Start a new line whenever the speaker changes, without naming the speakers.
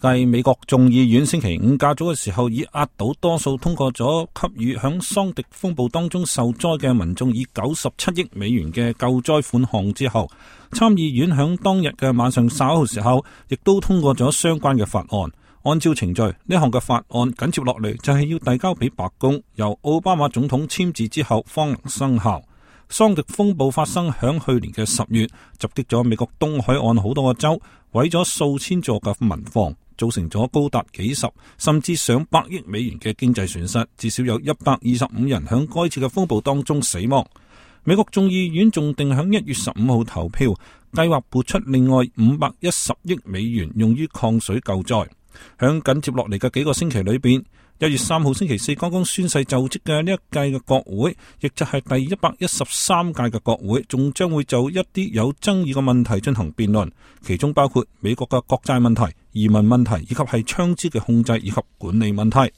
繼美國眾議院星期五較早嘅時候以壓倒多數通過咗給予響桑迪風暴當中受災嘅民眾以97億美元嘅救災款項之後，參議院響當日嘅晚上稍後時候亦都通過咗相關嘅法案。按照程序，呢項嘅法案緊接落嚟就係要遞交俾白宮，由奧巴馬總統簽字之後方能生效。桑迪風暴發生響去年嘅10月，襲擊咗美國東海岸好多個州，毀咗數千座嘅民房，造成咗高達幾十甚至上百億美元嘅經濟損失，至少有125人響該次嘅風暴當中死亡。美國眾議院仲定響1月15號投票，計劃撥出另外510億美元用於抗水救災。響緊接落嚟嘅幾個星期裏邊，1月3號星期四剛剛宣誓就職嘅呢一屆嘅國會，亦就係第113屆嘅國會，仲將會就一啲有爭議嘅問題進行辯論，其中包括美國嘅國債問題、移民問題，以及係槍支嘅控制以及管理問題。